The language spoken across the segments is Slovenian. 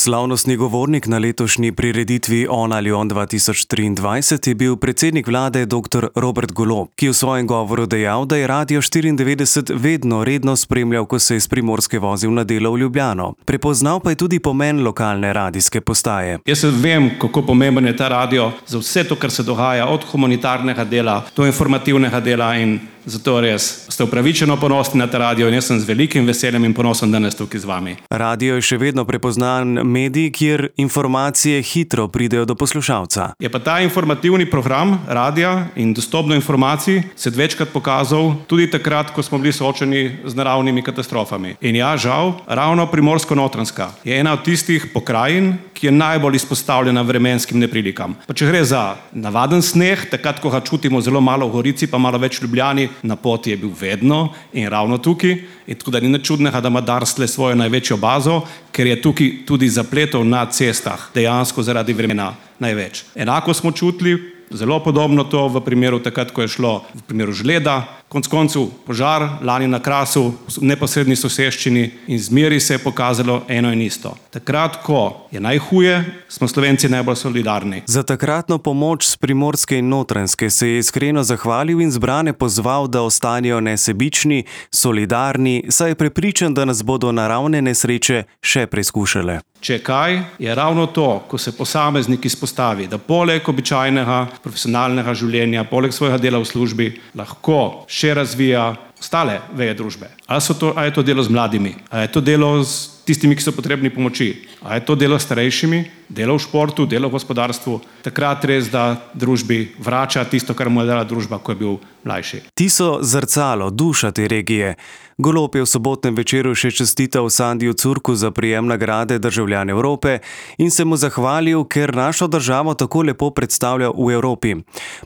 Slavnostni govornik na letošnji prireditvi On ali on 2023 je bil predsednik vlade dr. Robert Golob, ki je v svojem govoru dejal, da je Radio 94 vedno redno spremljal, ko se je iz Primorske vozil na delo v Ljubljano. Prepoznal pa je tudi pomen lokalne radijske postaje. Jaz vem, kako pomemben je ta radio za vse to, kar se dogaja, od humanitarnega dela do informativnega dela, in zato res ste upravičeno ponosni na ta radio in jaz sem z velikim veseljem in ponosom danes tukaj z vami. Radio je še vedno prepoznan medij, kjer informacije hitro pridejo do poslušalca. Je pa ta informativni program radia in dostop do informacij se večkrat pokazal tudi takrat, ko smo bili soočeni z naravnimi katastrofami. In ja, žal, ravno Primorsko-Notranjska je ena od tistih pokrajin, ki je najbolj izpostavljena vremenskim neprilikam. Pa če gre za navaden sneg, takrat, ko ga čutimo zelo malo v Gorici, pa malo več v Ljubljani, na poti je bil vedno in ravno tukaj. In tako da ni nič čudnega, da ima Darsle svojo največjo bazo, ker je tukaj tudi zapletov na cestah dejansko zaradi vremena največ. Enako smo čutili, zelo podobno to v primeru takrat, ko je šlo v primeru žleda, konec koncev požar lani na Krasu, v neposredni soseščini, in zmeri se je pokazalo eno in isto. Takrat, ko je najhuje, smo Slovenci najbolj solidarni. Za takratno pomoč s Primorske in Notranjske se je iskreno zahvalil in zbrane pozval, da ostanejo nesebični, solidarni, saj je prepričan, da nas bodo naravne nesreče še preizkušale. Če kaj, je ravno to, ko se posameznik izpostavi, da poleg običajnega profesionalnega življenja, poleg svojega dela v službi, lahko še razvija ostale veje družbe. Ali je to delo z mladimi, ali je to delo z tistimi, ki so potrebni pomoči, ali je to delo s starejšimi, delo v športu, delo v gospodarstvu, takrat res, da družbi vrača tisto, kar mu je dala družba, ko je bil mlajši. Ti so zrcalo, duša te regije. Golob je v sobotnem večeru še čestital Sandiju Curku za prejem nagrade Državljan Evrope in se mu zahvalil, ker našo državo tako lepo predstavlja v Evropi.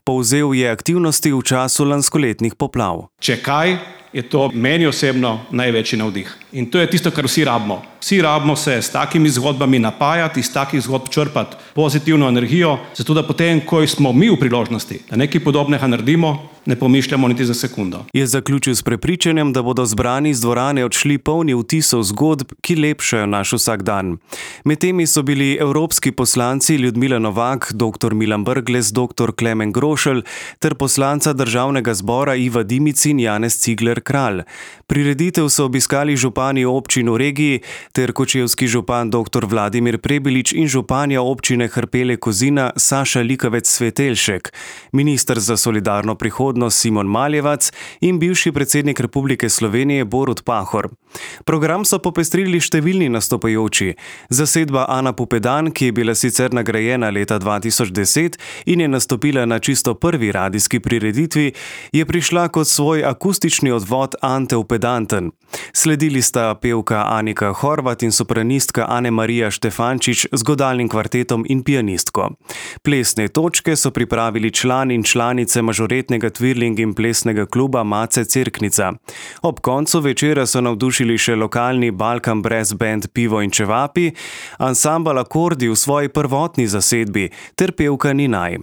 Povzel je aktivnosti v času lanskoletnih poplav. Če kaj, je to meni osebno največji navdih. In to je tisto, kar vsi rabimo. Vsi rabimo se s takimi zgodbami napajati, iz takih zgodb črpati pozitivno energijo, zato da potem, ko smo mi v priložnosti, da nekaj podobnega naredimo, ne pomišljamo niti za sekundo. Je zaključil s prepričanjem, da bodo zbrani iz dvorane odšli polni vtisov zgodb, ki lepšajo naš vsakdan. Med temi so bili evropski poslanci Ljudmila Novak, dr. Milan Brglez, dr. Klemen Grošelj ter poslanca Državnega zbora Iva Dimic in Janez Cigler Kralj. Prireditev so obiskali župani občin v regiji ter kočevski župan dr. Vladimir Prebilič in županja občine Hrpele Kozina Saša Likavec-Svetelšek, minister za solidarno prihodnost Simon Maljevac in bivši predsednik Republike Slovenije Borut Pahor. Program so popestrili številni nastopajoči. Zasedba Ana Pupedan, ki je bila sicer nagrajena leta 2010 in je nastopila na čisto prvi radijski prireditvi, je prišla kot svoj akustični odvod Ante Upedanten. Sledili sta pevka Anika Horvat in sopranistka Ane-Marija Štefančič z godalnim kvartetom in pianistko. Plesne točke so pripravili član in članice mažoretnega Twirling in plesnega kluba Mace Cerknica. Ob koncu večera so navdušili še lokalni Balkan Brass Band Pivo in Čevapi, ansambel Akordi v svoji prvotni zasedbi ter pevka Ninaj.